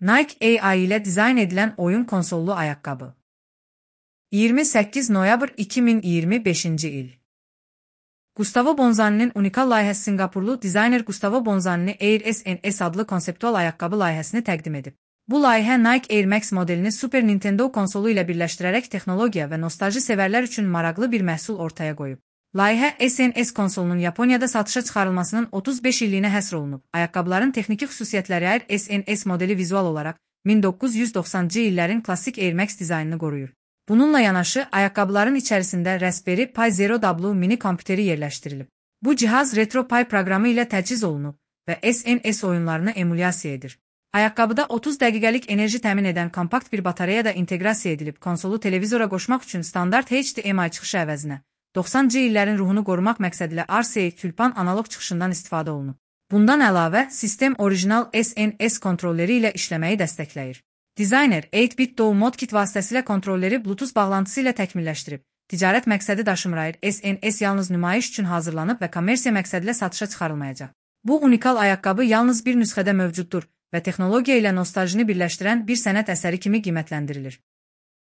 Nike AI ilə dizayn edilən oyun konsollu ayaqqabı. 28 noyabr 2025-ci il. Gustavo Bonzani'nin unikal layihəsi Singapurlu dizayner Gustavo Bonzani Air SNS adlı konseptual ayaqqabı layihəsini təqdim edib. Bu layihə Nike Air Max modelini Super Nintendo konsolu ilə birləşdirərək texnologiya və nostalji sevərlər üçün maraqlı bir məhsul ortaya qoyub. Layihə SNS konsolunun Yaponiyada satışa çıxarılmasının 35 illiyinə həsr olunub. Ayaqqabıların texniki xüsusiyyətləri Air SNS modeli vizual olaraq 1990-cı illərin klassik Air Max dizaynını qoruyur. Bununla yanaşı, ayaqqabıların içərisində Raspberry Pi Zero W mini kompüteri yerləşdirilib. Bu cihaz Retro Pi proqramı ilə təchiz olunub və SNS oyunlarını emulyasiya edir. Ayaqqabıda 30 dəqiqəlik enerji təmin edən kompakt bir batareya da inteqrasiya edilib, konsolu televizora qoşmaq üçün standart HDMI çıxışı əvəzinə 90-cı illərin ruhunu qorumaq məqsədilə RCA Külpan analoq çıxışından istifadə olunub. Bundan əlavə, sistem orijinal SNS kontrolleri ilə işləməyi dəstəkləyir. Dizayner 8-bit DAW modkit vasitəsilə kontrolleri Bluetooth bağlantısı ilə təkmilləşdirib. Ticarət məqsədi daşımır. SNS yalnız nümayiş üçün hazırlanıb və kommersiya məqsədilə satışa çıxarılmayacaq. Bu unikal ayaqqabı yalnız bir nüsxədə mövcuddur və texnologiya ilə nostaljini birləşdirən bir sənət əsəri kimi qiymətləndirilir.